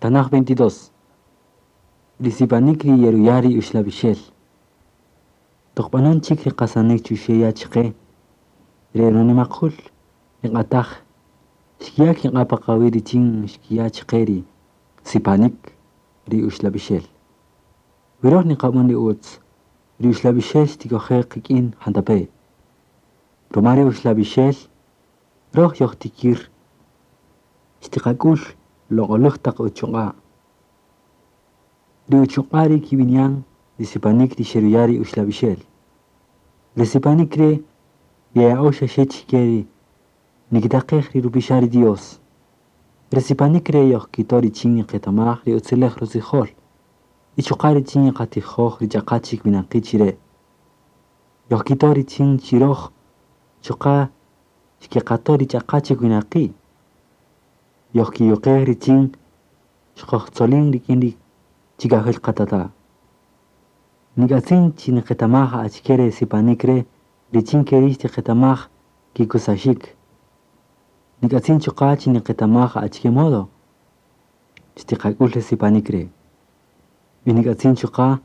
Tanaj 22. Ri sipanik ri yeruya' ri uxlab'ixel. Toq b'anon chik ri qasanik chuxe' ya' chqe, ri runimaqul ri q'ataj xkiya' kiq'a' pa qawi' richin xkiya' chqe ri sipanik ri uxlab'ixel. Wi röj niqab'än ri ütz, ri uxlab'ixel xtik'oje' qik'in jantape'. Ruma ri uxlab'ixel, röj yojtikïr xtiqak'ül loq'oläj taq uchuq'a'. Ri uchuq'a' ri kib'ini'an ri sipanik ri xeruya' ri uxlab'ixel. Ri sipanik re' yeya'öx xa xe chike ri nikitaqej ri rupixa' ri Dios. Ri sipanik re' yojkito' richin nqetamaj ri utziläj rutzijol y chuqa' richin yeqatijoj ri ch'aqa chik winaqi' chi re'. Yojkito' richin chi röj chuqa' xkeqato' ri ch'aqa chik winaqi'. Yojkiyuqej richin xkojtzolin rik'in ri chikajil qatata'. Nik'atzin chi nqetamaj achike re sipanik re' richin ke ri' xtiqetamaj kikusaxik. Nik'atzin chuqa' chi nqetamaj achike modo xtiqak'ül re sipanik re'. Y nik'atzin chuqa'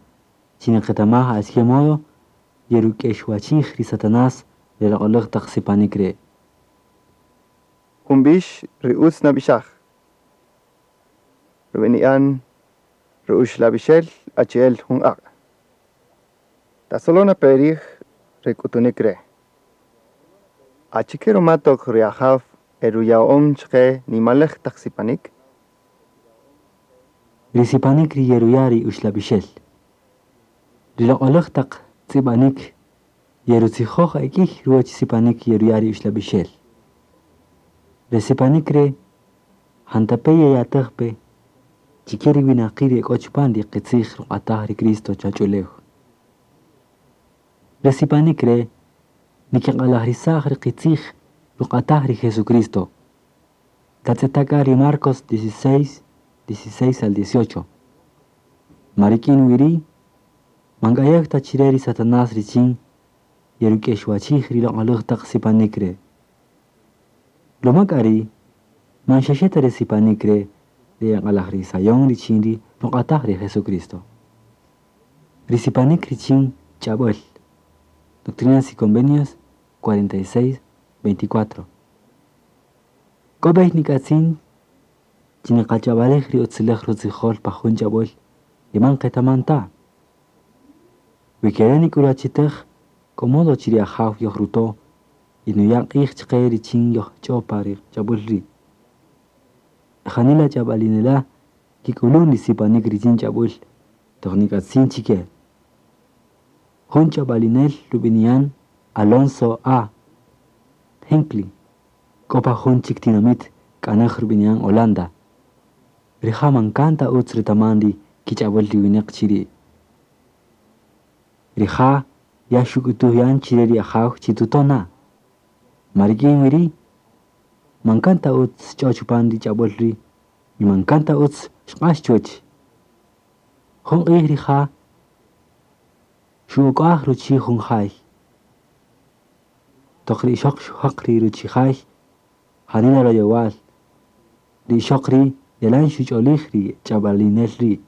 chi nqetamaj achike modo yeruk'exwachij ri Satanás ri loq'oläj taq sipanik re'. Jun b'ix ri utz nab'ixaj. Rub'ini'an ru'uxlab'ixel achi'el jun q'aq'. Tasolon pe rij re k'utunik re'. Achike ruma toq ri Ajaw eruya'on chqe nimaläj taq sipanik? Ri sipanik ri yeruya' ri uxlab'ixel. Ri loq'oläj taq tz'ib'anik yerutzijoj e k'ïy ruwäch sipanik yeruya' ri uxlab'ixel. Re sipanik re' jantape' yeyatäj pe chike ri winaqi' ri e k'o chupan ri qitzij ruq'ataj ri Cristo chach'ulew. Re sipanik re' nikiq'alajrisaj ri qitzij ruq'ataj ri Jesucristo. Tatz'eta' k'a ri Marcos 16, 16 al 18. Ma rik'in wi ri' man k'ayew ta chi re ri Satanás richin yeruk'exwachij ri loq'oläj taq sipanik re'. Ruma k'a ri' man xa xe ta re sipanik re' ri eq'alajrisayon richin ri ruq'ataj ri Jesucristo. Ri sipanik richin ch'ab'äl. Doctrinas y Convenios 46, 24. K'o b'ey nik'atzin chi niqach'ab'alej ri utziläj rutzijol pa jun ch'ab'äl ri man qetaman ta. Wi ke re' nik'ulwachitäj k'o modo chi ri Ajaw yojruto' y nuya' q'ij chqe richin yojch'o pa ri ch'ab'äl ri'. Janila ch'ab'alinela' kik'ulun ri sipanik richin ch'ab'äl toq nik'atzin chike. Jun ch'ab'alinel rub'ini'an Alonso A. Hinckley k'o pa jun chik tinamït k'anäj rub'ini'an Holanda. Rija' man kan ta utz retaman ri kich'ab'äl ri winäq chi ri'. Rija' ya xuk'utuj yan chi re ri Ajaw chi tuto' na. Ma rik'in wi ri' man kan ta utz xch'o chupan ri ch'ab'äl ri' y man kan ta utz xq'ax chuwäch. Jun q'ij rija' xu'uk'aj ruchi' jun jay. Toq ri ixöq xujäq ri ruchi' jay janila royowal. Ri ixöq ri' yalan xuch'olij ri ch'ab'alinel ri'.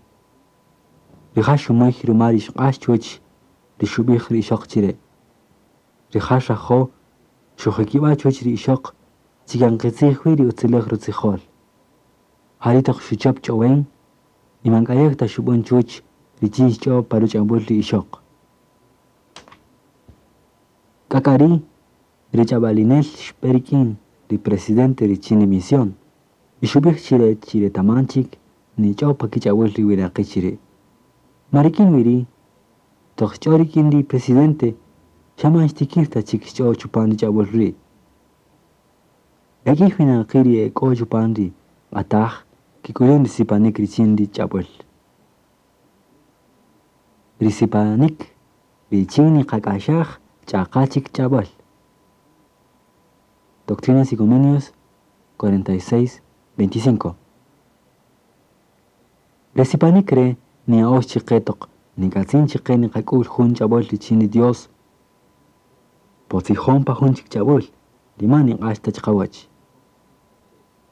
Rija' xumöy ruma ri xq'ax chuwäch ri xub'ij ri ixöq chi re'. Rija' xrajo' xujikib'a' chuwäch ri ixöq chi kan qitzij wi ri utziläj rutzijol. Ja ri' toq xuchäp ch'owen y man k'ayew ta xub'än chuwäch richin xch'o pa ruch'ab'äl ri ixöq. K'a k'a ri' ri ch'ab'alinel xb'e rik'in ri presidente richin ri misión y xub'ij chi re chi retaman chik nich'o pa kich'ab'äl ri winaqi' chi re'. Ma rik'in wi ri' toq xch'o rik'in ri presidente xa man xtikïr ta chik xch'o chupan ri ch'ab'äl ri'. E k'ïy winaqi' ri e k'o chupan ri q'ataj kik'ulun ri sipanik richin ri ch'ab'äl. Ri sipanik richin niqak'axaj ch'aqa chik ch'ab'äl. Doctrinas y Convenios 46, 25. Re sipanik re' niya'öx chqe toq nik'atzin chqe niqak'ül jun ch'ab'äl richin ri Dios po tzijon pa jun chik ch'ab'äl ri man niq'ax ta chiqawäch.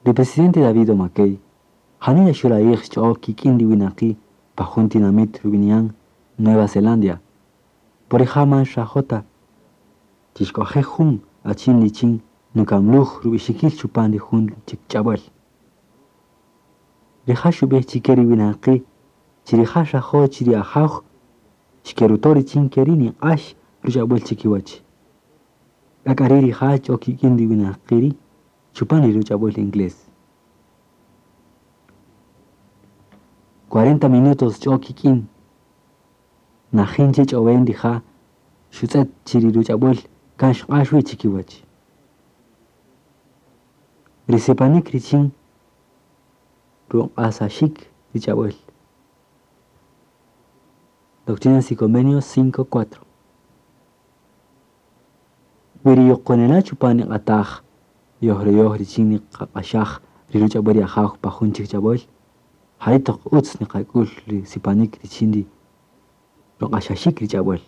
Ri presidente David O. McKay Janila xurayij xch'o kik'in ri winaqi' pa jun tinamit rub'ini'an Nueva Zelandia. Po rija' man xrajo' ta chi xk'oje' jun achin richin nukamluj rub'ixikil chupan ri jun chik ch'ab'äl. Rija' xub'ij chike ri winaqi' chi rija' xrajo' chi ri Ajaw xkeruto' richin ke ri' niq'ax ruch'ab'äl chikiwäch. K'a k'a ri' rija' xch'o kik'in ri winaqi' ri' chupan ri ruch'ab'äl inglés. 40 minutos xch'o kik'in najin che ch'owen rija' xutz'et chi ri ruch'ab'äl kan xq'ax wi chikiwäch. Ri sipanik richin ruq'asaxik ri ch'ab'äl. Doctrinas y Convenios 5.4. Wi ri yuqonela' chupan ri q'ataj yojreyoj richin niqaq'axaj ri ruch'ab'äl ri Ajaw pa jun chik ch'ab'äl, jari' toq utz niqak'ul ri sipanik richin ri ruq'axaxik ri ch'ab'äl.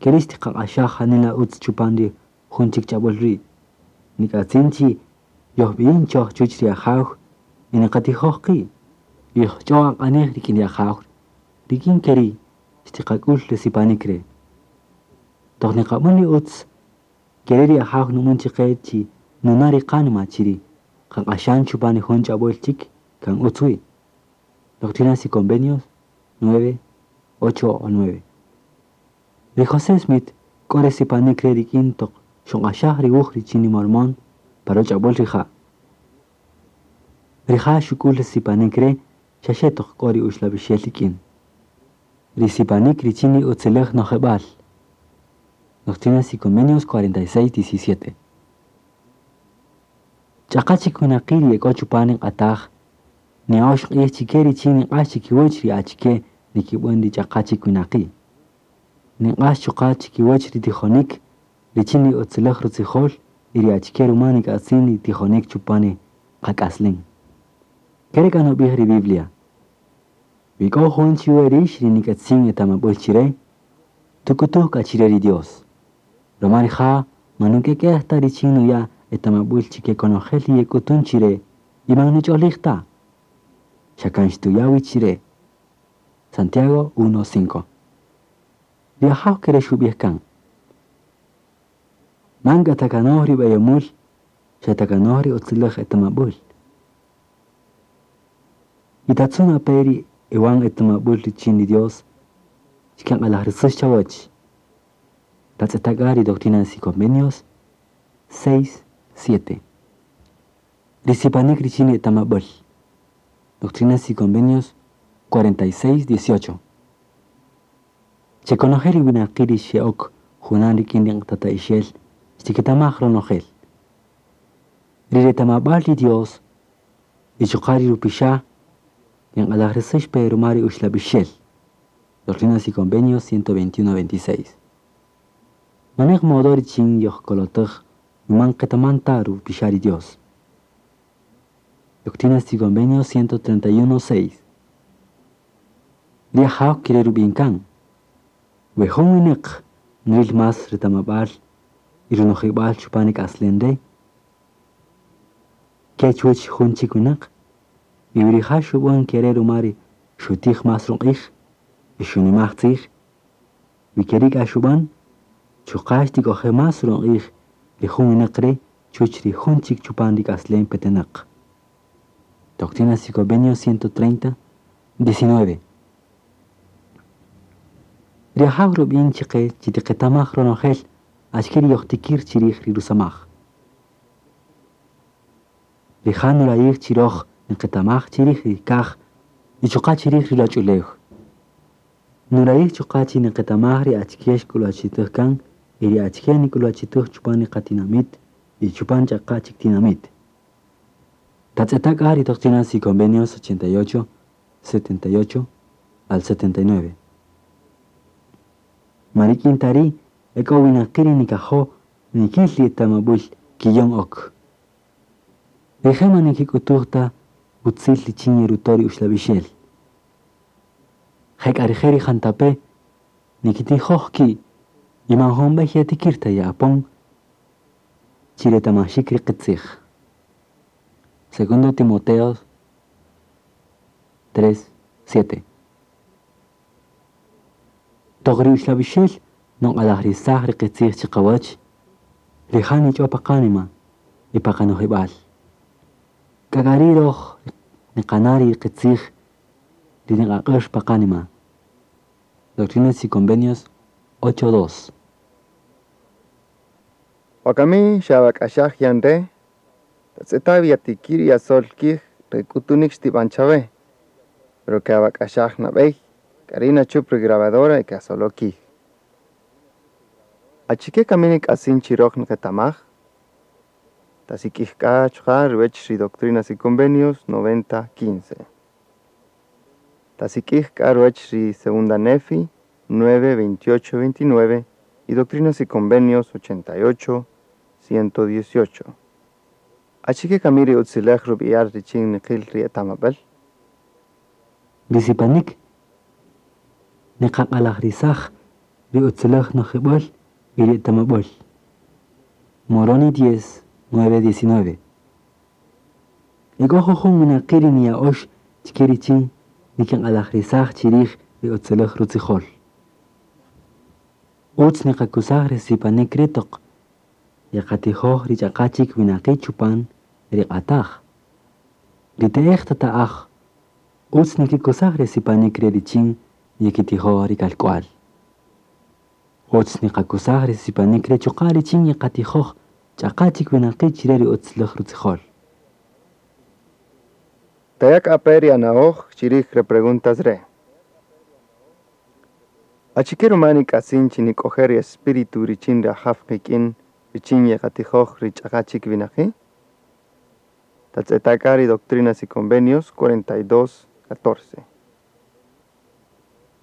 Ke ri' xtiqaq'axaj janila utz chupan ri jun chik ch'ab'äl ri'. Nik'atzin chi yojb'iyin choj chuwäch ri Ajaw y niqatijoj qi', yojch'o aq'anej rik'in ri Ajaw, rik'in ke ri' xtiqak'ul ri sipanik re'. Toq niqab'än ri utz, ke ri' ri Ajaw nu'än chiqe chi nuna' ri qánima chi ri qaq'axan chupan ri jun ch'ab'äl chik kan utz wi. Doctrinas y Convenios 9, 8 o 9. Ri José Smith k'o re sipanik re' rik'in toq xuq'axaj ri wuj richin ri Mormón pa ruch'ab'äl rija'. Rija' xuk'ul ri sipanik re' xaxe toq k'o ri uxlab'ixel rik'in. Ri sipanik richin ri utziläj nojeb'äl. Doctrinas y Convenios 46, 17. Ch'aqa chik winaqi' ri ek'o chupan ri q'ataj niya'ox q'ij chike richin niq'ax chikiwäch ri achike nikib'än ri ch'aqa chik winaqi'. Niq'ax chuqa' chikiwäch ri tijonik richin ri utziläj rutzijol y ri achike ruma nik'atzin ri tijonik chupan ri qak'aslem. Ke re' k'a nub'ij ri Biblia. Wi k'o jun chiwe rïx ri nik'atzin etamab'äl chire, tuk'utuj k'a chire ri Dios. Ruma rija' man nuk'ek'ej ta richin nuya' etamab'äl chike konojel ri yek'utun chire y man nuch'olij ta. Xa kan xtuya' wi chire. Santiago 1.5. Ri Ajaw ke re' xub'ij kan. Man k'a takanoj ri b'eyomül, xa takanoj ri utziläj etamab'äl. Y tatzun ape ri ewan etamab'äl richin ri Dios, xkeq'alajrisäx chawäch. Tatz'eta' k'a ri Doctrinas y Convenios 6, 7. Ri sipanik richin ri etamab'äl. Doctrinas y Convenios 46, 18. Chekonojel ri winaqi' ri xe'ok junan rik'in ri tata'ixel xtiketamaj ronojel. Ri retamab'äl ri Dios y chuqa' ri rupixa' nq'alajrisäx pe ruma ri uxlab'ixel. Doctrinas y Convenios 121-26. Manej modo richin yojkolotäj man qetaman ta rupixa' ri Dios. Doctrinas y Convenios 131-6. Ri Ajaw kere rub'in kan. We jun winäq nril más retamab'äl y runojib'al chupan ri k'aslem re', ke chuwäch jun chik winäq, y wi rija' xub'än ke re' ruma ri xutij más ruq'ij y xunimaj tzij, wi ke ri' k'a xub'än, chuqa' xtik'oje' más ruq'ij ri jun winäq re' chuwäch ri jun chik chupan ri k'aslem petenäq. Doctrinas y Convenios 130, 19. Ri Ajaw rub'in chiqe chi tiqetamaj ronojel achike ri yojtikir chirij ri rusamaj. Rija' nurayij chi röj niqetamaj chirij ri kaj y chuqa' chirij ri ruwach'ulew. Nurayij chuqa' chi niqetamaj ri achike xk'ulwachitäj kan y ri achike nik'ulwachitäj chupan ri qatinamit y chupan ch'aqa' chik tinamit. Tatz'eta' k'a ri Doctrinas y Convenios 88, 78 al 79. Ma rik'in ta ri' ek'o winaqi' ri nikajo' nikil ri etamab'äl kiyon ok. Rije' man nikik'utuj ta utzil richin yeruto' ri uxlab'ixel. Jek'a rije' ri jantape' nikitijoj ki' y man jun b'ey yetikir ta ye'apon Chiretamaxik ri qitzij. Segundo Timoteo 3, 7. Toq ri uxlab'ixel nuq'alajrisaj ri qitzij chiqawach, rija' nich'o pa qanima y pa qanojib'al. K'a k'a ri' roj niqana' ri qitzij ri niq'aq'äx pa qanima. Doctrinas y Convenios 8.2. Wakami xawak'axaj yan re', tatz'eta' wi yatikïr yasöl kij re k'utunïk xtib'an chawe, pero ke'awak'axaj nab'ey, k'a ri' nachüp ri grabadora y ke'asolo' kij. Achike kami nik'atzin chi röj nqetamaj? Tasik'ij k'a chuqa' ruwäch ri Doctrinas y Convenios 90.15. Tasik'ij k'a ruwäch ri Segunda Nefi 9, 28, 29 y Doctrinas y Convenios 88, 118. Achike kami ri utziläj rub'eyal richin niqïl ri etamab'äl? Ri sipanik niqaq'alajrisaj ri utziläj nojib'äl y ri etamab'äl. Moroni 10, 9, 19. E k'o jujun winaqi' ri niya'ox chike richin nikiq'alajrisaj chirij ri utziläj rutzijol. Utz niqakusaj ri sipanik ri' toq yeqatijoj ri ch'aqa chik winaqi' chupan ri q'ataj. Ri te'ej tata'aj utz nikikusaj ri sipanik re' richin yekitijoj ri kalk'wal. Utz niqakusaj ri sipanik re' chuqa' richin yeqatijoj ch'aqa chik winaqi' chire ri utziläj rutzijol. Taya' k'a pe ri ana'oj chirij re preguntas re'. Achike ruma nik'atzin chi nik'oje' ri espíritu richin ri Ajaw qik'in richin yeqatijoj ri ch'aqa chik winaqi'? Tatz'eta' k'a ri Doctrinas y Convenios 42, 14.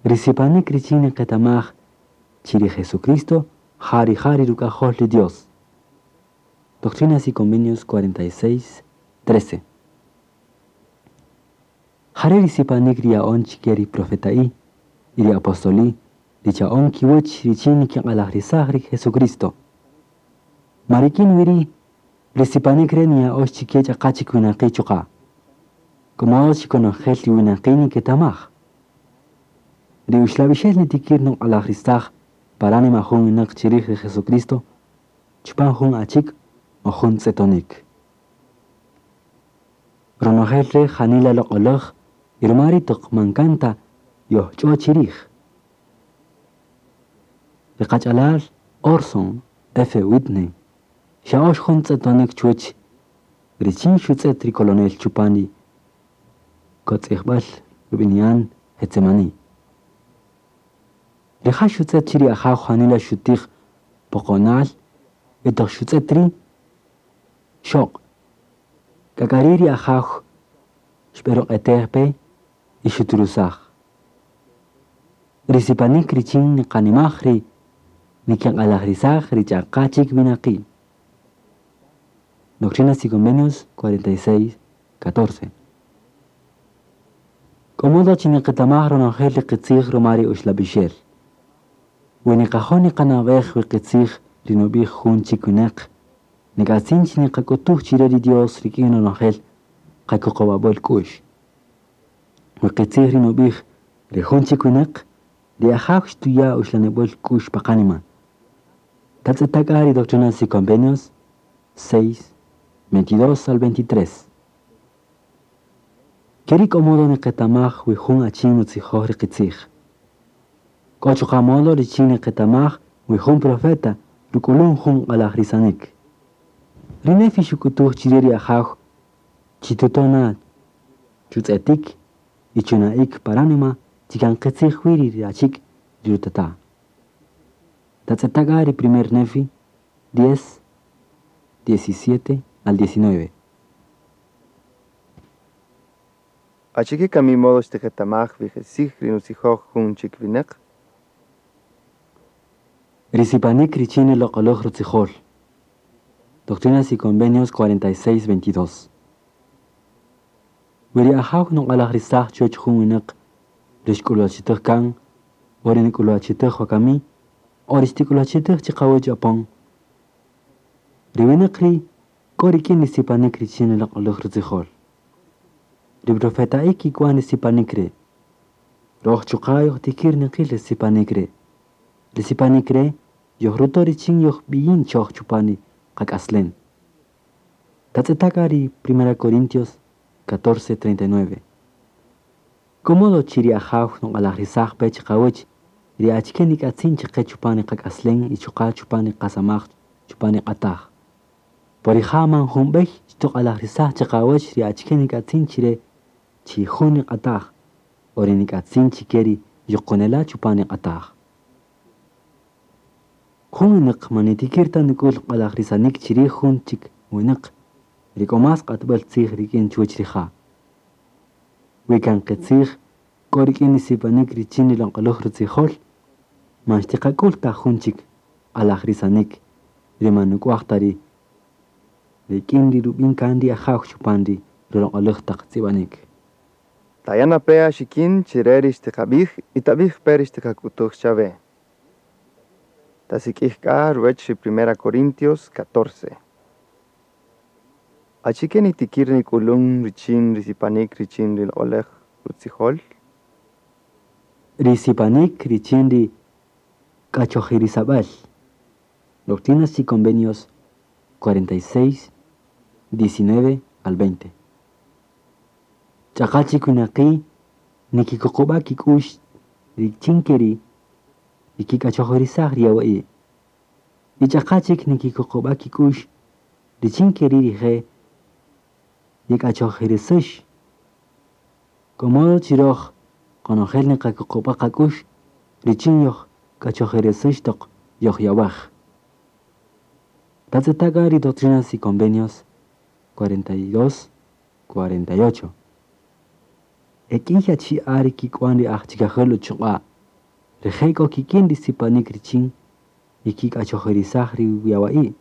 Ri sipanik richin niqetamaj chi ri Jesucristo ja rija' ri ruk'ajol ri Dios. Doctrinas y Convenios 46, 13. Jare' ri sipanik ri ya'on chike ri profeta'i y ri apostoli ri cha'on kiwäch richin nikiq'alajrisaj ri Jesucristo. Marikin wiri ri sipanik re' niya'ox chike ch'aqa chik winaqi' chuqa'. Como chikonojel ri winaqi' niketamaj. Ri uxlab'ixel nitikir nuq'alajrisaj para anima jun winaq chirij ri Jesucristo, chupan jun achik o jun tz'etonik. Ronojel re' janila loq'oläj y ruma ri' toq man kan ta yojch'o chirij. Ri qach'alal Orson F. Whitney xa'ox jun tz'etonik chuwäch richin xutz'et ri colonel chupan ri kotz'ijb'äl rub'ini'an Getsemani. Rija' xutz'et chi ri Ajaw janila xutij poqonal y toq xutz'et ri' xoq'. K'a k'a ri' ri Ajaw xb'eruq'etej pe y xuturusaj. Ri sipanik richin niqanimaj ri nikiq'alajrisaj ri ch'aqa chik winaqi'. Doctrinas y Convenios 46, 14. K'o modo chi niqetamaj ronojel ri qitzij ruma ri uxlab'ixel. We niqajo' niqanab'ej wi qitzij ri nub'ij jun chik winaq, nik'atzin chi niqak'utuj chire ri Dios rik'in ronojel qakuqub'ab'äl k'u'x. Wi qitzij ri nub'ij ri jun chik winaq, ri Ajaw xtuya' uxlanib'äl k'u'x pa qanima. Tatz'eta' k'a ri Doctrinas y Convenios 6, 22 al 23. Keri' k'o modo niqetamaj wi jun achin nutzijoj ri qitzij. K'o chuqa' modo richin niqetamaj wi jun profeta ruk'ulun jun q'alajrisanik. Ri Nefi xuk'utuj chire ri Ajaw chitutona chutz'etik y chuna'ik paranima chi kan qitzij wi ri achik ri rutata'. Tatz'eta' k'a ri primer Nefi 10, 17 al 19. Achike kami modo xtiqetamaj wi qitzij ri nutzijoj jun chik winaq? Ri sipanik richin ri loq'oläj rutzijol. Doctrinas y Convenios 46, 22. Wi ri Ajaw nuq'alajrisaj chuwäch jun winaq ri xk'ulwachitäj kan o ri nik'ulwachitäj wakami o ri xtik'ulwachitäj chiqawäch apon. Ri winäq ri' k'o rik'in ri sipanik richin ri loq'oläj rutzijol. Ri profeta'i kik'wan ri sipanik re'. Röj chuqa' yojtikïr niqïl ri sipanik re'. Ri sipanik re' yojruto' richin yojb'iyin choj chupan ri qak'aslem. Tatz'eta' k'a ri 1 Corintios 14:39. K'o modo chi ri Ajaw nuq'alajrisaj pe chiqawäch ri achike nik'atzin chiqe chupan ri qak'aslem y chuqa' chupan ri qasamaj chupan ri q'ataj. Po rija' man jun b'ey xtuq'alajrisaj chiqawäch ri achike nik'atzin chire chi jun ri q'ataj o ri nik'atzin chike ri yuqunela' chupan ri q'ataj. Jun winäq man nitikïr ta nuk'ül q'alajrisanik chirij jun chik winäq ri k'o más q'atb'äl tzij rik'in chuwäch rija'. Wi kan qitzij k'o rik'in ri sipanik richin ri loq'oläj rutzijol, man xtiqak'ül ta jun chik q'alajrisanik ri man nuk'waj ta ri rik'in ri rub'in kan ri Ajaw chupan ri ruloq'oläj taq tz'ib'anik. Taya' na pe axikin chire ri xtiqabij y tabij pe ri xtiqak'utuj chawe. Tasik'ij k'a ruwech ri 1 Corintios 14. Achike nitikir nik'ulun richin ri sipanik richin ri loq'olej rutzijol? Ri sipanik richin ri k'achojirisab'äl. Doctrinas y Convenios 46, 19 al 20. Ch'aqa chik winaqi' nikikuqub'a' kik'u'x richin ke ri' yekik'achojirisaj ri yawa'i'. Y ch'aqa chik nikikuqub'a' kik'u'x richin ke ri' rije' yek'achojirisäx. K'o modo chi röj qonojel niqakuqub'a' qak'u'x richin yojk'achojirisäx toq yojyawäj. Tatz'eta' k'a ri Doctrinas y Convenios 42, 48. E k'ïy achi'a' ri kik'wan ri aj chikajäl uchuq'a'. Rije' k'o kik'in ri sipanik richin yekik'achojirisaj ri yawa'i'.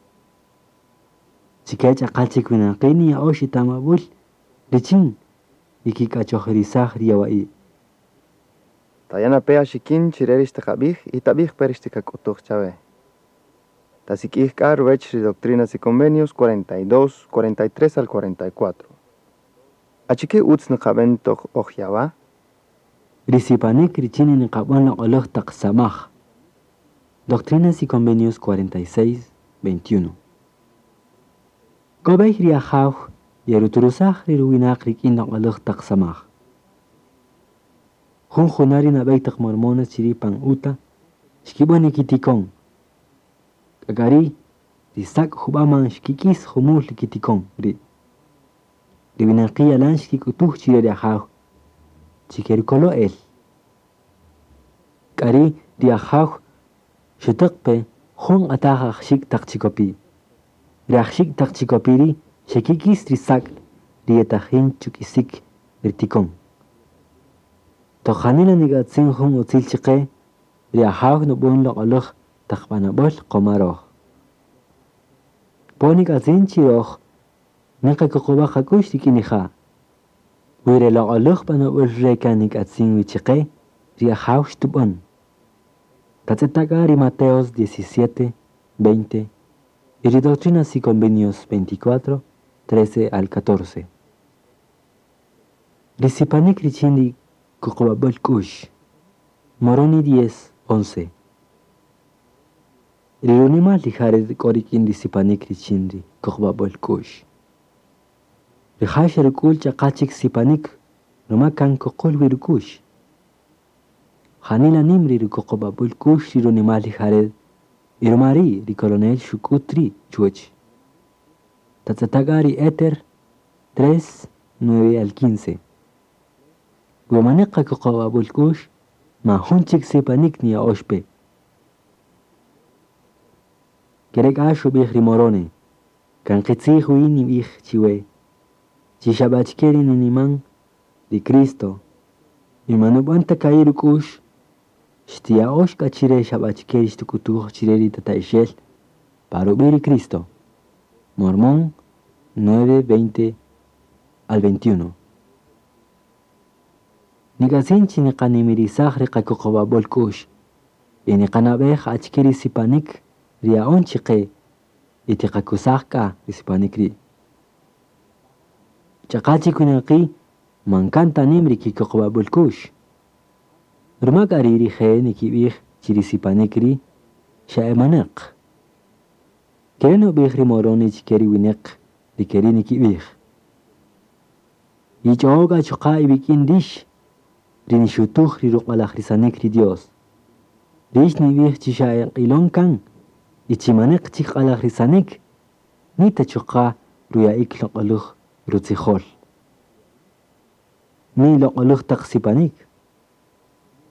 Chike ch'aqa chik winaqi' niya'öx etamab'äl richin yekik'achojirisaj ri yawa'i'. Taya' na pe axikin chire ri xtiqabij y tabij pe ri xtiqak'utuj chawe. Tasik'ij k'a ruwech ri Doctrinas y Convenios 42, 43 al 44. Achike utz niqab'en toq oj yawa'? Ri sipanik richin niqab'än loq'oläj taq samaj. Doctrinas y Convenios 46, 21. K'o b'ey ri Ajaw yeruturusaj ri ruwinaq rik'in loq'oläj taq samaj. Jun juna' ri nab'ey taq mormones chiri' pan Utah xkib'än kitikon. K'a k'a ri' ri sak' jub'a' man xkik'is jumul ri kitikon ri'. Ri winaqi' yalan xkik'utuj chire ri Ajaw chi kerukolo' el. K'a ri' ri Ajaw xutäq pe jun q'ataj ajxik' taq chikopi'. Ri ajxik' taq chikopi' ri' xekik'is ri sak' ri yetajin chuk'isik ri tikon. Toq janila nik'atzin jun utzil chiqe, ri Ajaw nub'än loq'oläj taq b'anob'äl qoma röj. Po nik'atzin chi röj niqakuqub'a' qak'u'x rik'in rija'. Wi re loq'oläj b'anob'äl re' kan nik'atzin wi chiqe, ri Ajaw xtub'än. Tatz'eta' k'a ri Mateos 17, 20 y ri Doctrinas y Convenios 24, 13 al 14. Ri sipanik richin ri kuqub'ab'äl k'u'x. Moroni 10, 11. Ri runimal ri Jared k'o rik'in ri sipanik richin ri kuqub'ab'äl k'u'x. Rija' xeruk'ul ch'aqa chik sipanik ruma kan kuqül wi ruk'u'x. Janila nim ri rukuqub'ab'äl k'u'x ri runimal ri Jared y ruma ri' ri coronel xuk'ut ri' chuwäch. Tatz'eta' k'a ri Éter 3, 9 al 15. We maneq qakuqub'ab'äl k'u'x, man jun chik sipanik niya'öx pe. Ke re' k'a xub'ij ri Moroni, kan qitzij wi nib'ij chiwe, chi xa b'a achike ri niniman ri Cristo, y man nub'än ta ka'i' ruk'u'x, xtiya'öx k'a chire xa b'a achike ri xtuk'utuj chire ri tata'ixel pa rub'i' ri Cristo. Mormón 9, 20 al 21. Nik'atzin chi niqanimirisaj ri qakuqub'ab'äl k'u'x y niqanab'ej achike ri sipanik ri ya'on chiqe Y tiqakusaj k'a ri sipanik ri'. Ch'aqa chik winaqi' man kan ta nim ri kikuqub'ab'äl k'u'x. Ruma k'a ri' rije' nikib'ij chi ri sipanik ri' xa e manäq. Kere' nub'ij ri Moroni chike ri winäq ri ke ri' nikib'ij. Yich'o'o k'a chuqa' iwik'in rix ri nixutuj ri ruq'alajrisanik ri Dios. Rix nib'ij chi xa e q'ilon kan y chi manäq chik q'alajrisanik, ni ta chuqa' ruya'ik loq'oläj rutzijol. Ni loq'oläj taq sipanik,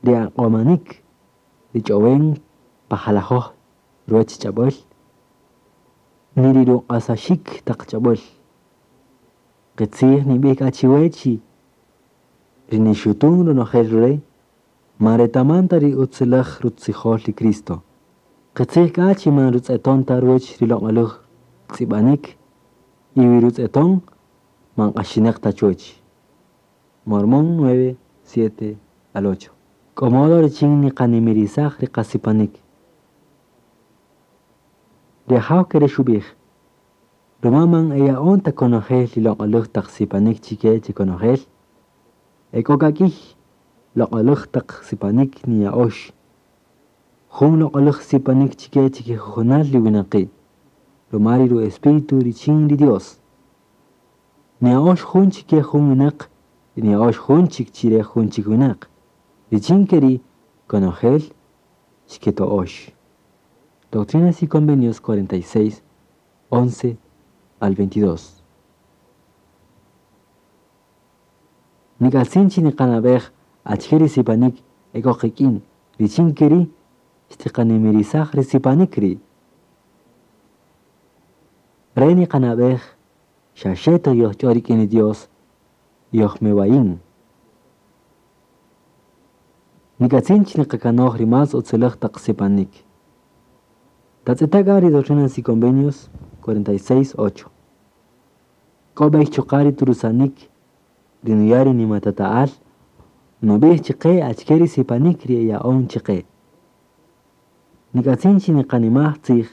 ri aq'omanik, ri ch'owen pa jalajoj ruwäch ch'ab'äl, ni ri ruq'asaxik taq ch'ab'äl. Qitzij nib'ij k'a chiwe chi ri nixutun ronojel re' man retaman ta ri utziläj rutzijol ri Cristo. Qitzij k'a chi man rutz'eton ta ruwäch ri loq'oläj tz'ib'anik y wi rutz'eton man q'axinäq ta chuwäch. Mormón 9, 7 al 8. K'o modo richin niqanimirisaj ri qasipanik. Ri Ajaw kere' xub'ij, ruma man eya'on ta konojel ri loq'oläj taq sipanik chike chi konojel, e k'o k'a k'iy loq'oläj taq sipanik niya'ox. Jun loq'oläj sipanik chike chikijujunal ri winaqi', ruma ri ru-espíritu richin ri Dios. Niya'ox jun chike jun winäq y niya'ox jun chik chire jun chik winäq. Richin ke ri' konojel xketo'ox. Doctrinas y Convenios 46, 11 al 22. Nik'atzin chi niqanab'ej achike ri sipanik e k'o qik'in, richin ke ri' xtiqanimirisaj ri sipanik ri'. Re niqanab'ej xa xe toq yojch'o rik'in ri Dios yojmewayin. Nik'atzin chi niqakanoj ri más utziläj taq sipanik. Tatz'eta' k'a ri Doctrinas y Convenios 46, 8. K'o b'ey chuqa' ri turusanik ri nuya' ri nimatata'al nub'ij chiqe achike ri sipanik ri eya'on chiqe. Nik'atzin chi niqanimaj tzij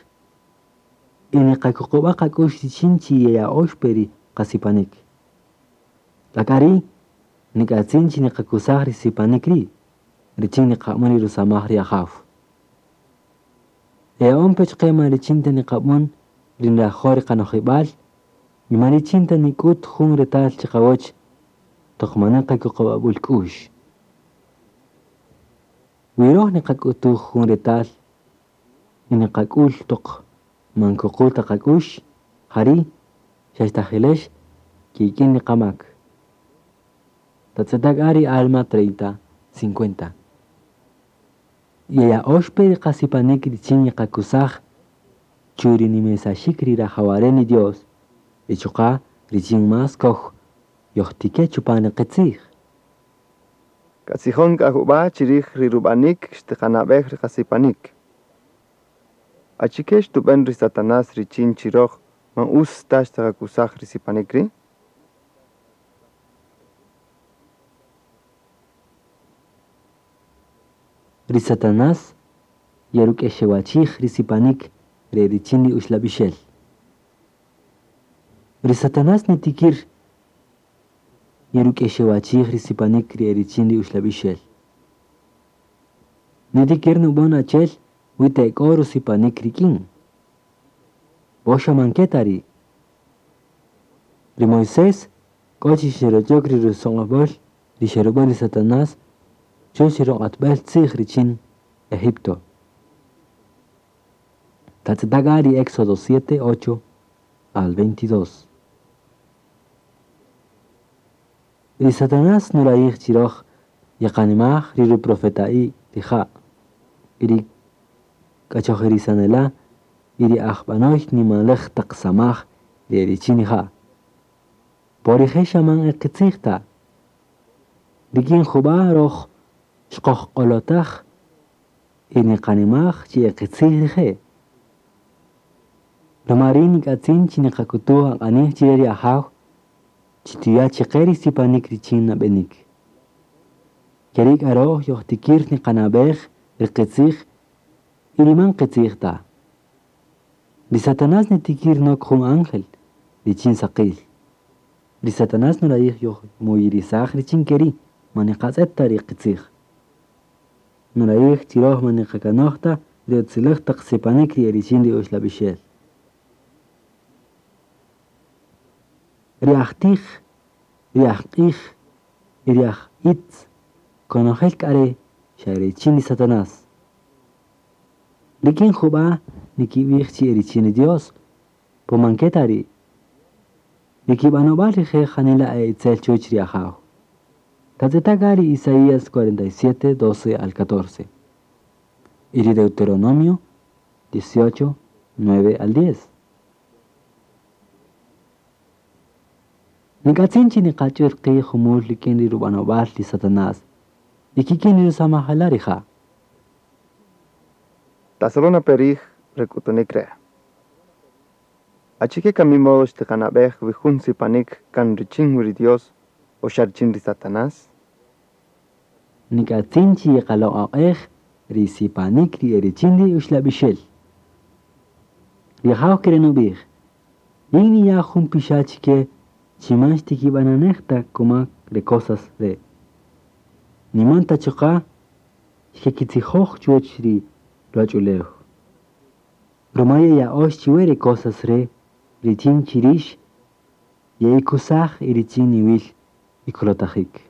y niqakuqub'a' qak'u'x richin chi yeya'ox pe ri qasipanik. K'a ri' nik'atzin chi niqakusaj ri sipanik ri' richin niqab'än ri rusamaj ri Ajaw. Eya'on pe chiqe man richin ta niqab'än ri nrajo' ri qanojib'al y man richin ta nik'ut jun retal chiqawäch toq manäq qakuqub'ab'äl k'u'x. Wi röj niqak'utuj jun retal y niqak'ul toq man kuqul ta qak'u'x, ja ri' xa xtajilex kik'in ri qamak. Tatz'eta' k'a ri Alma 30, 50. Yeya'ox pe ri qasipanik richin yeqakusaj chu ri nimesaxik ri rajawaren ri Dios y chuqa' richin más koj yojtike chupan ri qitzij. Katzijon k'a jub'a' chirij ri rub'anik xtiqanab'ej ri qasipanik. Achike xtub'än ri Satanás richin chi röj man utz ta xtiqakusaj ri sipanik ri'? Ri Satanás yeruk'exewachij ri sipanik re richin ri uxlab'ixel. Ri Satanás nitikir yeruk'exewachij ri sipanik ri richin ri uxlab'ixel. Nitikir nub'än achel wi te k'o rusipanik rik'in. Po xa man ke ta ri'. Ri Moisés k'o chi xeroch'ok ri rusoq'ob'äl ri xerub'än ri Satanás chuwäch ri ruq'atb'äl tzij richin Egipto. Tatz'eta' k'a ri Éxodo 7, 8 al 22. Ri Satanás nurayij chi röj yeqanimaj ri ruprofeta'i rija' y ri k'achojirisanela' y ri ajb'anoy nimaläj taq samaj ri richin rija'. Po rije' xa man e qitzij ta. Rik'in jub'a' röj xkojq'olotäj y niqanimaj chi e qitzij rije'. Ruma ri' nik'atzin chi niqak'utuj aq'anij chire ri Ajaw chi tuya' chiqe ri sipanik richin nab'enik. Ke ri' k'a röj yojtikir niqanab'ej ri qitzij y ri man qitzij ta. Ri Satanás nitikir nok jun ángel, richin saqil. Ri Satanás nurayij yojmuyirisaj richin keri, ma niqatz'et ta ri qitzij. Nurayij chi roj ma niqakanoj ta ri utziläj taq sipanik ri erichin ri uxlab'ixel. Ri ajtij, ri ajq'ij y ri ajitz, konojel k'a re' xa richin ri Satanás. Rik'in jub'a' nikib'ij chi erichin ri Dios, po man ke ta ri'. Ri kib'anob'al rije' janila e itzel chuwäch ri Ajaw. Tatz'eta' k'a ri Isaías 47, 12 al 14. Y ri Deuteronomio 18, 9 al 10. Nik'atzin chi niqach'ür qi' jumul rik'in ri rub'anob'al ri Satanás y kik'in ri rusamajela' rija'. Tasolona perij rek'utunik re'. Achike kami modo xtiqanab'ej wi jun sipanik kan richin wi ri Dios o xa richin ri Satanás? Nik'atzin chi yeqaloq'oq'ej ri sipanik ri erichin ri uxlab'ixel. Ri Ajaw kere' nub'ij, yin niya' jun pixa' chike chi man xtikib'ananej ta kuma re cosas re'. Niman ta chuqa' xkekitzijoj chuwäch ri ruwach'ulew. Ruma yeya'ox chiwe re cosas re' richin chi rix ye'ikusaj y richin niwil ikolotajik.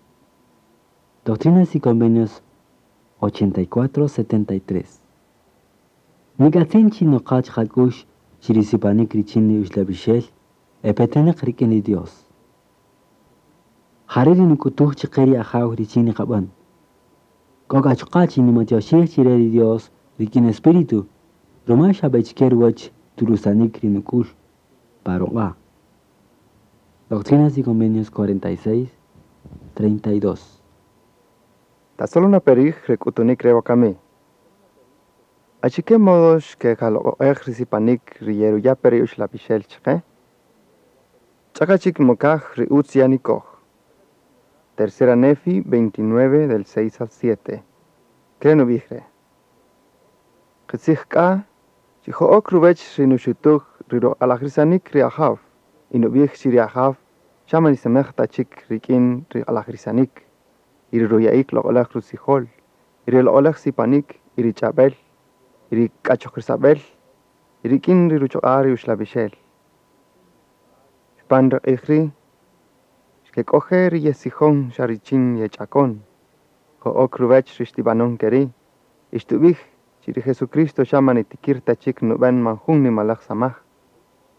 Doctrinas y Convenios 84-73. Nik'atzin chi noqach qak'u'x chi ri sipanik richin ri uxlab'ixel epetenaq rik'in ri Dios. Jare' ri nuk'utuj chaqe ri Ajaw richin niqab'an. K'o k'a chuqa' chi nimatyoxij chire ri Dios rik'in espíritu, ruma xab'echike ruwäch turusanik ri nuk'ul pa ruq'a'. Doctrinas y Convenios 46, 32. Tasolona perij rek'utunik re wakami. Achike modo xkeqaloq'oq'ej ri sipanik ri yeruya' pe ri uxlab'ixel chaqe? Ch'aqa chik mokaj ri utz ya nikoj. Tercera Nefi 29 del 6 al 7. Kere' nub'ij re'. Qitzij k'a, chi jo'ok ruwech ri nuxutuj ri ruq'alajrisanik ri Ajaw y nub'ij chi ri Ajaw xa man nisemej ta chik rik'in ri q'alajrisanik y ri ruya'ik loq'olaj rutzijol y ri loq'olaj sipanik y ri ch'ab'el y ri k'achojrisab'el y rik'in ri ruchuq'a' ri uxlab'ixel. Chupan ri q'ij ri' xkek'oje' ri yesijon xa richin yech'akon. Jo'ok ruwech ri xtib'anon keri' y xtub'ij chi ri Jesucristo xa man nitikir ta chik nub'en man jun nimalaj samaj.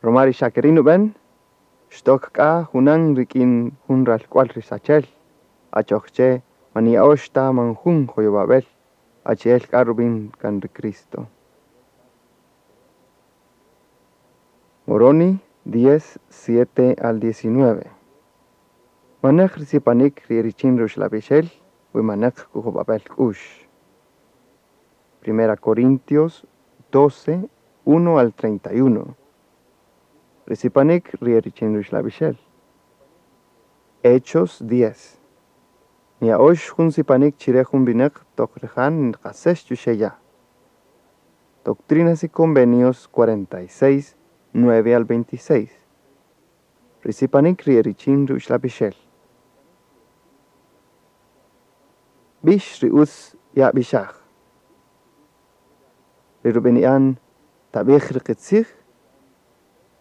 Ruma ri xa keri' nub'en, xtok k'a junan rik'in jun ralk'wal ri sachel, achoj che man niya'ox ta man jun joyowab'el, achi'el k'a rub'in kan ri Cristo. Moroni 10, 7 al 19. Manej ri sipanik ri richin ri uxlab'ixel, wi manej kujob'ab'el k'u'x. Primera Corintios 12, 1 al 31. Ri sipanik ri richin ri uxlab'ixel. Hechos 10. Niya'ox jun sipanik chire jun winäq toq rija' nqasex chuxe' ya'. Doctrinas y Convenios 46, 9 al 26. Ri sipanik ri richin ri uxlab'ixel. B'ix ri utz ya b'ixaj. Ri rub'ini'an tab'ij ri qitzij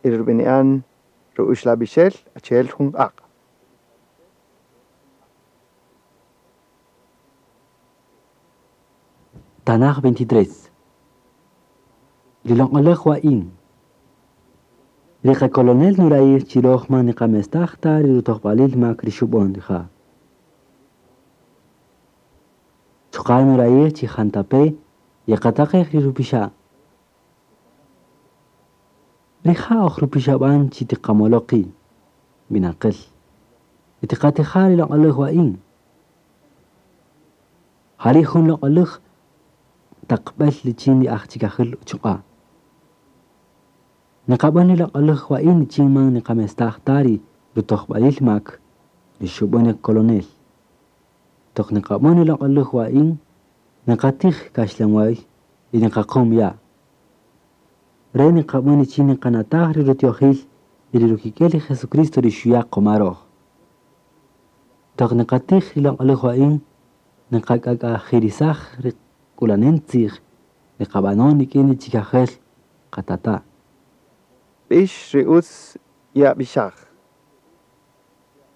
y ri rub'ini'an ri uxlab'ixel achi'el jun q'aq'. Tanaj 23. Ri loq'olaj wa'in. Ri qakolonel nurayij chi roj man niqamestaj ta ri rutojb'alil mak ri xub'on rija'. Chuqa' nurayij chi jantape' yeqataqej ri rupixa'. Rija' oj rupixab'an chi tiqamolo' qi', winaqel. Y tiqatija' ri loq'olaj wa'in. Jari' jun loq'olaj taqb'el richin ri ajchikajil uchuq'a'. Niqab'an ri loq'olaj wa'in richin man niqamestaj ta ri rutojb'alil mak ri xub'an ri kolonel. Toq niqab'an ri loq'olaj wa'in, niqatij kaxlanwäy y niqaqum ya'. Re niqab'än richin niqanataj ri rutiojil y ri rukik'el ri Jesucristo ri xuya' qomaroj. Toq niqatij ri loq'oläj wa'in niqak'ak'ajirisaj ri k'ulanen tzij riqab'anon rik'in ri chikajel qatata'. B'ix ri utz ye'ab'ixaj.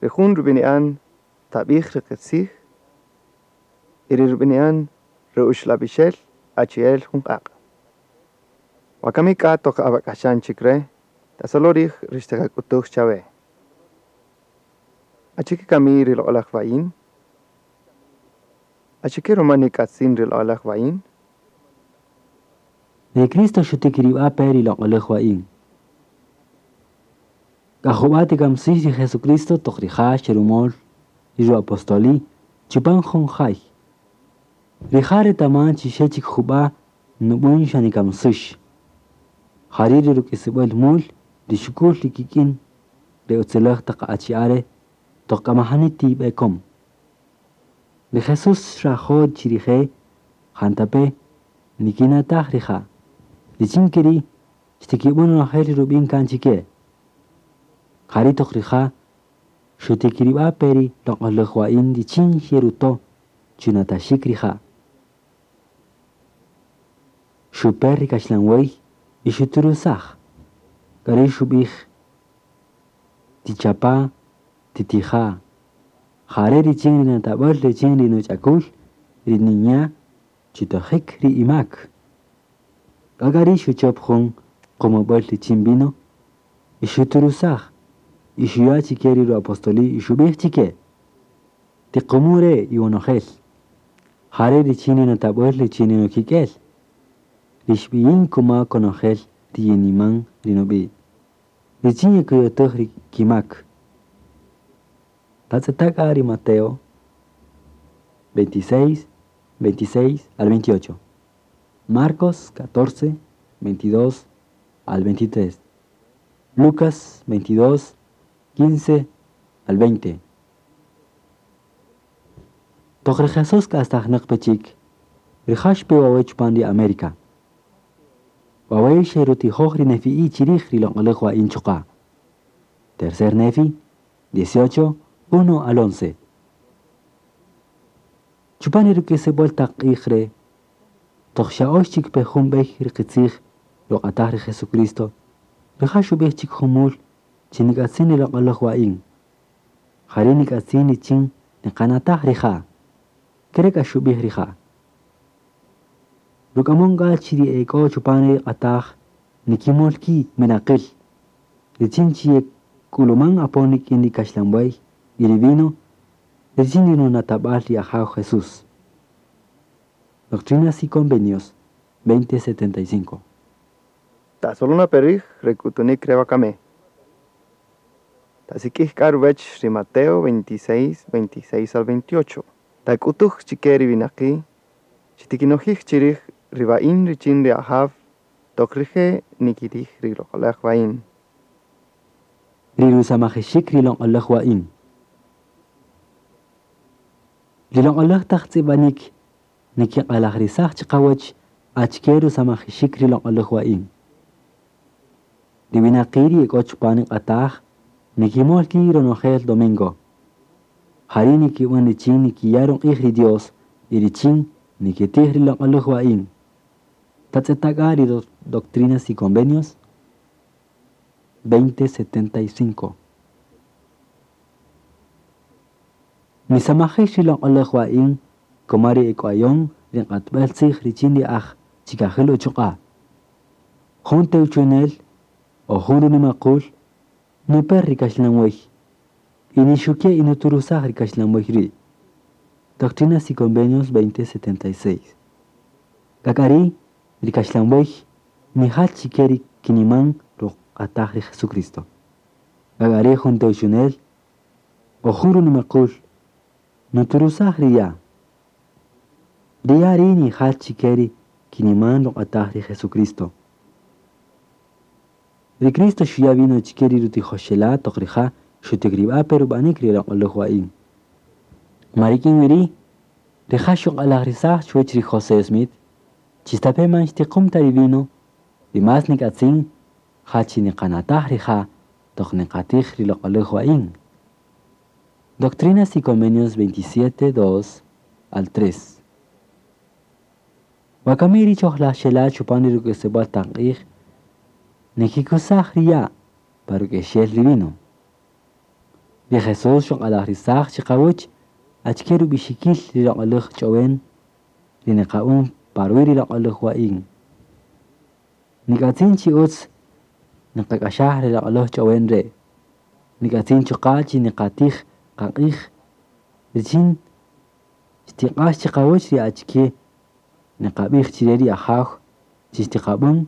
Ri jun rub'ini'an tab'ij ri qitzij y ri rub'ini'an ri uxlab'ixel achi'el jun q'aq'. Wakami k'a toq awak'axan chik re', tasolo' rij ri xtiqak'utuj chawe. Achike kami ri loq'oläj wa'in? Achike ruma nik'atzin ri loq'oläj wa'in? Ri Cristo xutikirib'a pe ri loq'oläj wa'in. K'ajub'a tikamsix ri Jesucristo toq rija' xerumol ri ruapostoli chupan jun jay. Rija' retaman chi xe chik jub'a' nub'än xa nikamsix. Jari' ri ruk'isib'äl mul ri xuk'ul ri kik'in ri utziläj taq achi'a' re' toq k'a majani tib'ekom. Ri Jesús xrajo' chi rije' jantape' nikinataj rija'. Richin ke ri' xtikib'än ronojel ri rub'in kan chike. Jari' toq rija' xutikirib'a pe ri loq'oläj wa'in richin xeruto' chunataxik rija'. Xuper ri kaxlanwäy y xuturusaj. K'a ri' xub'ij tichapa' titija'. Jare' richin ri natab'äl richin ri nuch'akul ri ninya' chitojik ri imak. K'a k'a ri' xuchop jun qumub'äl richin vino y xuturusaj y xuya' chike ri ruapostoli y xub'ij chike: Tiqumu' re' iwonojel. Jare' richin ri natab'äl richin ri nukik'el. Ri xb'iyin kuma konojel ri yeniman ri nub'i'. Richin yekuyutäj ri kimak. Tatz'eta' k'a ri Mateo 26, 26 al 28. Marcos 14, 22 al 23. Lucas 22, 15 al 20. Toq ri Jesús k'astajnäq pe chik, rija' xpe wawe' chupan ri América. Wawe' xerutijoj ri nefi'i chirij ri loq'oläj wa'in chuqa'. Tercer Nefi, 18, 1 al 11. Chupan ri ruk'isib'äl taq q'ij re' toq xa'ox chik pe jun b'ey ri qitzij ruq'ataj ri Jesucristo, rija' xub'ij chik jumul chi nik'atzin ri loq'oläj wa'in. Jari' nik'atzin richin niqanataj rija'. Ke re' k'a xub'ij rija'. Ruk'amon k'a chi ri e k'o chupan ri q'ataj nikimol ki' winaqil. Richin chi yek'uluman apon rik'in ri kaxlanwäy y ri vino richin ri runatab'al ri Ajaw Jesús. Doctrinas y Convenios 2075. Tasolona perij re k'utunik re wakami. Tasik'ij k'a ruwäch ri Mateo 26, 26 al 28. Tak'utuj chike ri winaqi' chi tikinojij chirij ri wa'in richin ri Ajaw toq rije' nikitij ri loq'oläj wa'in. Ri rusamajixik ri loq'oläj wa'in. Ri loq'oläj taq tz'ib'anik nikiq'alajrisaj chiqawäch achike rusamajixik ri loq'oläj wa'in. Ri winaqi' ri e k'o chupan ri q'ataj nikimol ki' ronojel domingo. Jari' nikib'än richin nikiya' ruq'ij ri Dios y richin nikitij ri loq'oläj wa'in. Tatz'eta' k'a ri Doctrinas y Convenios 2075. Nisamajix ri loq'oläj wa'in kuma ri ek'wayon ri q'atb'äl tzij richin ri aj chikajil uchuq'a'. Jun tewchunel o jun runimaqul nuper ri kaxlanwäy y nixuke' y nuturusaj ri kaxlanwäy ri'. Doctrinas y Convenios 2076. K'a k'a ri' ri kaxlanwäy nijal chike ri kiniman ruq'ataj ri Jesucristo. K'a k'a ri' jun tewchunel o jun runimaqul nuturusaj ri ya'. Ri ya' ri' nijal chike ri kiniman ruq'ataj ri Jesucristo. Ri Cristo xuya' vino chike ri rutijoxela' toq rija' xutikirib'a' pe rub'anik ri loq'oläj wa'in. Ma rik'in wi ri' rija' xuq'alajrisaj chuwäch ri José Smith chi stape' man xtiqum ta ri vino, Ri más nik'atzin ja chi niqanataj rija' toq niqatij ri loq'oläj wa'in. Doctrinas y Convenios 27, 2 al 3. Wakami ri chojlaxela chupan ri ruk'isib'äl taq q'ij, nikikusaj ri ya' pa ruk'exel ri vino. Ri Jesús xuq'alajrisaj chiqawäch achike rub'ixikil ri loq'oläj ch'owen ri niqa'un pa ruwi' ri loq'oläj wa'in. Nik'atzin chi utz niqak'axaj ri loq'oläj ch'owen re'. Nik'atzin chuqa' chi niqatij qaq'ij richin xtiq'ax chiqawäch ri achike niqab'ij chire ri Ajaw chi xtiqab'än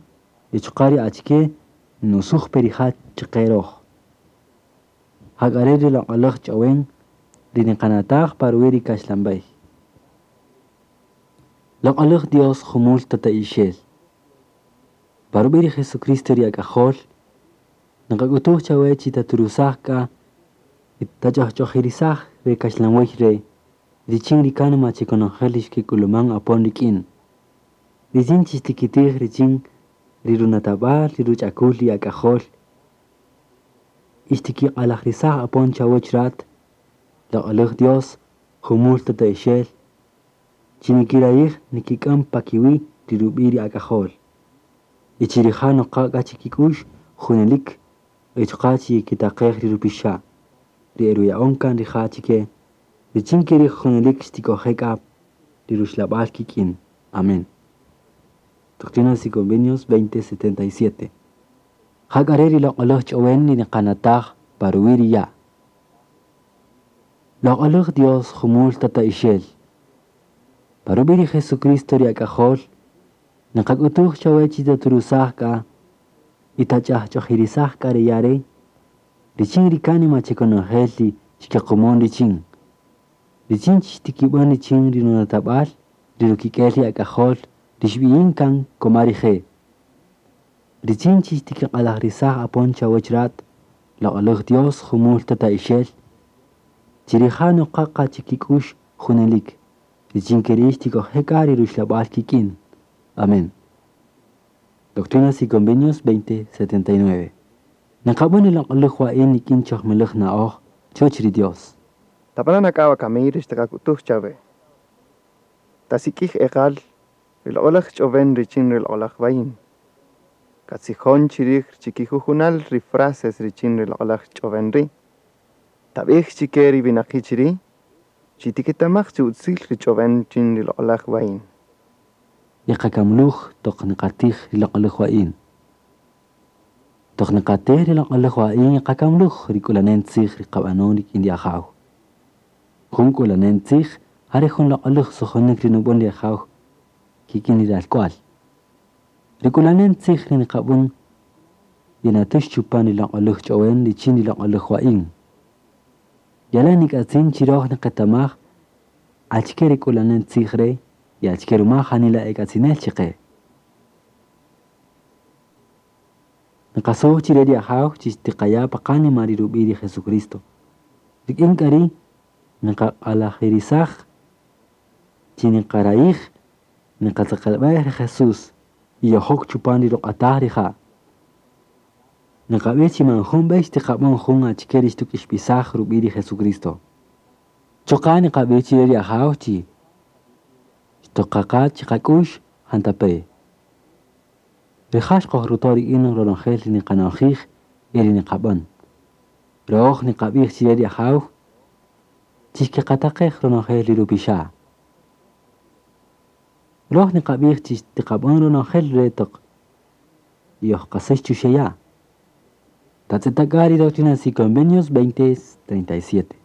y chuqa' ri achike nusuj pe rija' chiqe röj. Jak'a re' ri loq'oläj ch'owen ri niqanataj pa ruwi' ri kaxlan b'ey. Loq'oläj Dios jumul tata'ixel. Pa rub'i' ri Jesucristo ri ak'ajol, niqak'utuj chawe chi taturusaj k'a y tach'ajch'ojirisaj re kaxlanwey re' richin ri kánima chi konojel ri xkik'uluman apon rik'in. Richin chi xtikitij richin ri runatab'al ri ruch'akul ri ak'ajol y xtikiq'alajrisaj apon chawäch rat, loq'oläj Dios, jumul tata'ixel, chi nikirayij nikik'än pa kiwi' ri rub'i' ri ak'ajol. Y chi rija' noqa k'a chikik'u'x junelik y chuqa' chi yekitaqej ri rupixa', ri e ruya'on kan rija' chike, richin ke ri junelik xtik'oje' k'a ri ruxlab'al kik'in. Amén. Doctrinas y Convenios 2077. Jak'a re' ri loq'oläj ch'owen ri niqanataj pa ruwi' ri ya'. Loq'oläj Dios jumul tata'ixel. Pa rub'i' ri Jesucristo ri ak'ajol, niqak'utuj chawe chi taturusaj k'a y tach'ajch'ojirisaj k'a ri ya' re', richin ri kánima chi konojel ri xkequmon richin. Richin chi xtikib'än richin ri runatab'al ri rukik'el ri ak'ajol ri xb'iyin kan koma rije'. Richin chi xtikiq'alajrisaj apon chawäch rat, loq'oläj Dios jumul tata'ixel, chi rija' noqa qa chikik'u'x junelik, richin ke ri' xtik'oje' k'a ri ruxlab'al kik'in. Amén. Doctrinas y Convenios 2079. Niqab'än ri loq'oläj wa'in rik'in chojmiläj na'oj chuwäch ri Dios. Tab'ana' k'a wakami ri xtiqak'utuj chawe. Tasik'ij eqal ri loq'oläj ch'owen richin ri loq'oläj wa'in. Katzijon chirij chikijujunal ri frases richin ri loq'oläj ch'owen ri'. Tab'ij chike ri winaqi' chiri', chi tiketamaj chi utzil ri ch'owen chin ri loq'oläj wa'in. Yeqakamluj toq niqatij ri loq'oläj wa'in. Toq niqatij ri loq'oläj wa'in yeqakamluj ri k'ulanen tzij ri qab'anon rik'in ri Ajaw. Jun k'ulanen tzij ja re' jun loq'oläj sujunik ri nub'än ri Ajaw kik'in ri ralk'wal. Ri k'ulanen tzij ri niqab'än yenatux chupan ri loq'oläj ch'owen richin ri loq'oläj wa'in. Yalan nik'atzin chi röj niqetamaj achike ri k'ulanen tzij re' y achike ruma janila ek'atzinel chiqe. Niqasuj chire ri Ajaw chi xtiqaya' pa qánima ri rub'i' ri Jesucristo. Rik'in k'a ri' niqaq'alajirisaj chi niqarayij niqatzeqelb'ej ri Jesús y yojok chupan ri ruq'ataj rija'. Niqab'ij chi man jun b'ey xtiqab'än jun achike ri xtuk'ixb'isaj rub'i' ri Jesucristo. Chuqa' niqab'ij chire ri Ajaw chi xtoqaqa chiqak'u'x jantape'. Rija' xqojruto' rik'in ronojel ri niqanojij y ri niqab'än. Röj niqab'ij chire ri Ajaw chi xkeqataqej ronojel ri rupixa'. Röj niqab'ij chi xtiqab'än ronojel re' toq yojqasäx chuxe' ya'. Tatz'eta' k'a ri Doctrinas y Convenios 2037.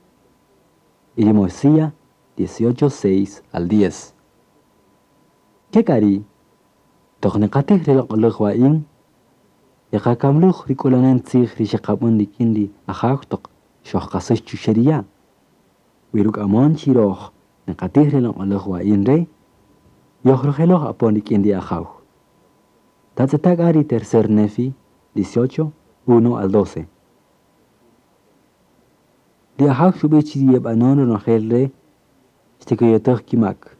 Y ri Mosía 18, 6 al 10. Ke k'a ri' toq niqatij ri loq'oläj wa'in, yeqakamluj ri k'ulanen tzij ri xeqab'än rik'in ri Ajaw toq xojqasäx chuxe' ri ya'. Wi ruk'amon chi röj niqatij ri loq'oläj wa'in re', yojrujeloj apon rik'in ri Ajaw. Tatz'eta' k'a ri tercer Nefi 18, 1 al 12. Ri Ajaw xub'ij chi ri yeb'anon ronojel re' xtikuyutäj kimak.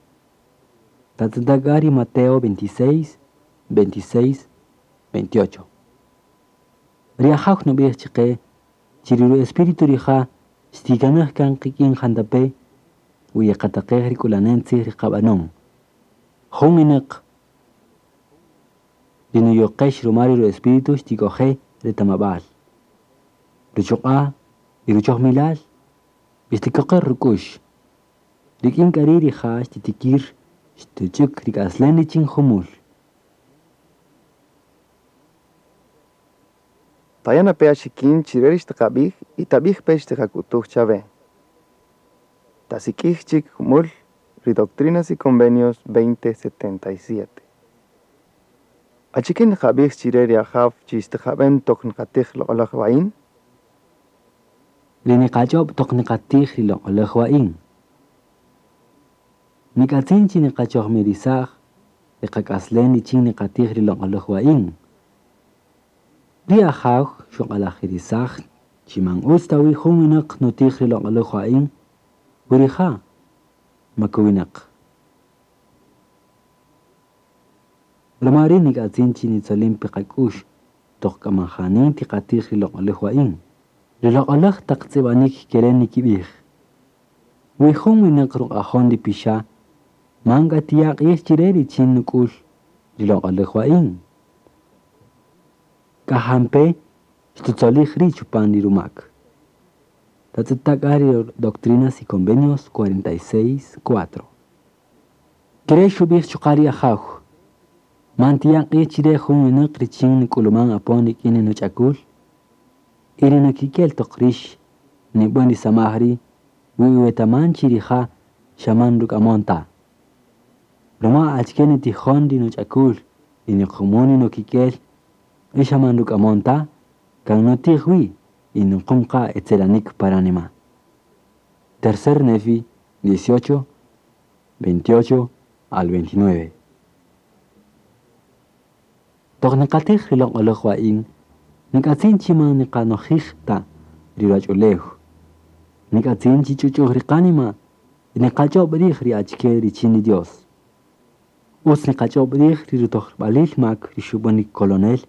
Tatz'eta' k'a ri Mateo 26, 26 28. Ri ajaw nub'ij chiqe chi ri espíritu rija' xtikanaj kan qik'in jantape' wi yeqataqej ri k'ulanen tzij ri qab'anon. Jun winäq ri nuyoqex ruma ri espíritu xtik'oje' retamab'al, ruchuq'a' y ruchojmilal y xtikoqer ruk'u'x. Rik'in k'a ri' rija' xtitikir xtuch'äk rik'aslen richin jumul. Taya' na pe axikin chire ri xtiqab'ij y tab'ij pe xtiqak'utuj chawe. Tasik'ij chik jumul ri Doctrinas y Convenios 2077. Achike nqab'ij chire ri ajaw chi xtiqab'en toq nqatij loq'oläj wa'in? Ri niqach'ob' toq niqatij ri loq'oläj wa'in. Nik'atzin chi niqachojmirisaj ri qak'aslen richin niqatij ri loq'oläj wa'in. Ri ajaw xuq'alajirisaj chi man utz ta wi jun winäq nutij ri loq'oläj wa'in, wi rija' makowinäq. Ruma ri' nik'atzin chi nitzolin pe qak'u'x toq k'a man jani tiqatij ri loq'oläj wa'in. Ri loq'oläj taq tz'ib'anik kere' nikib'ij. Wi jun winäq ruq'ajon ri pixa', man k'a tiya' q'ij chire richin nuk'ul ri loq'oläj wa'in. K'a jampe' xtutzolij ri' chupan ri rumak. Tatz'eta' k'a ri Doctrinas y Convenios 46, 4. Kere' xub'ij chuqa' ri ajaw. Man tiya' q'ij chire jun winäq richin nik'uluman apon rik'in ri nuch'akul y ri nukik'el toq rix nib'än ri samaj ri' wi iwetaman chi rija' xa man ruk'amon ta. Ruma achike nitijon ri nuch'akul y niqumun ri nukik'el y xa man ruk'amon ta, kan nutij wi y nuqum qa etzelanik pa ranima. Tercer Nefi 18, 28 al 29. Toq niqatij ri loq'oläj wa'in, nik'atzin chi man niqanojij ta ri ruwach'ulew. Nik'atzin chi ch'uch'uj ri qanima y niqach'ob' rij ri achike richin ri Dios. Utz niqach'ob' rij ri rutojb'alil mak ri xub'än ri kolonel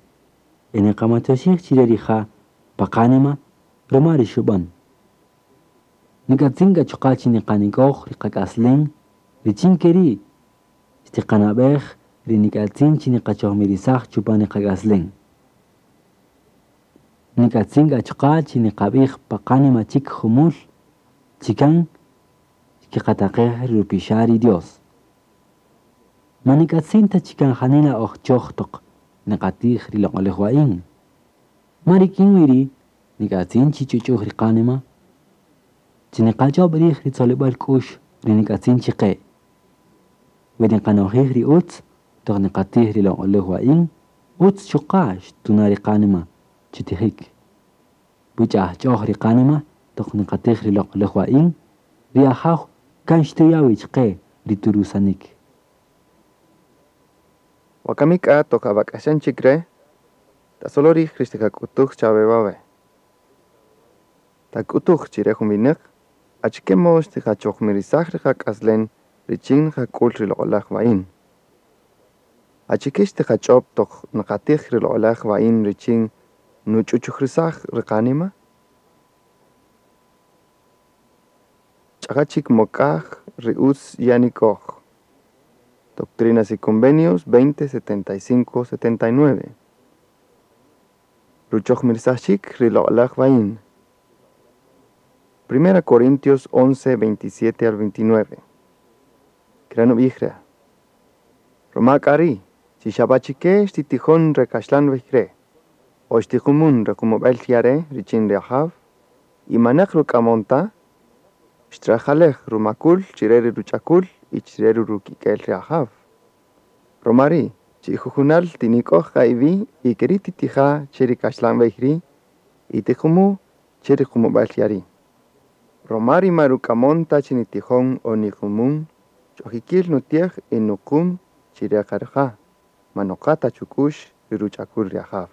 y niqamatyoxij chire rija' pa qanima ruma ri xub'än. Nik'atzin k'a chuqa' chi niqanik'oj ri qak'aslen richin ke ri' xtiqanab'ej ri nik'atzin chi niqachojmirisaj chupan ri qak'aslen. Nik'atzin k'a chuqa' chi niqab'ij pa qanima chik jumul chi kan xkiqataqej ri rupixa' ri Dios. Man nik'atzin ta chi kan janila oj choj toq niqatij ri loq'oläj wa'in. Ma rik'in wi ri' nik'atzin chi ch'uch'uj ri qanima, chi niqach'ob' rij ri tzolib'äl k'u'x ri nik'atzin chiqe'. Wi niqanojij ri utz toq niqatij ri loq'oläj wa'in, utz chuqa' xtuna' ri qanima chutijik. Wi ch'ajch'oj ri qanima toq niqatij ri loq'oläj wa'in, ri ajaw kan xtuya' wi chiqe ri turusanik. Wakami k'a toq awak'axan chik re', tasolo rij ri xtiqak'utuj chawe wawe'. Tak'utuj chire jun winäq, achike modo xtiqachojmirisaj ri qak'aslen richin nqak'ul ri loq'oläj wa'in. Achike xtiqach'ob' toq nqatij ri loq'oläj wa'in richin nuch'uch'ujrisaj ri qanima? Ch'aqa chik mokaj ri utz ye'anik'oj. Doctrinas y Convenios 2075-79. Ruchojmirisaxik ri loq'oläj wa'in. Primera Corintios 11, 27 al 29. Kere' nub'ij re'. Ruma k'a ri', chi xab'achike xtitijon re kaxlan b'ey re', o xtiqumun re qumub'el ya' re' richin ri ajaw, y manaq ruk'amon ta, xtrajalej rumakul chire ri ruch'akul y chire ri rukik'el ri ajaw. Ruma ri', chi jujunal tinik'oj qa iwi' y keri' titija' che ri kaxlan b'ey ri' y tiqumu' che ri qumub'el ya' ri'. Ruma ri ma ruk'amon ta chi nitijon o niqumun, ch'ojikil nutiej y nuqum chire qa rija', ma noqa ta chuk'u'x ri ruch'akul ri ajaw.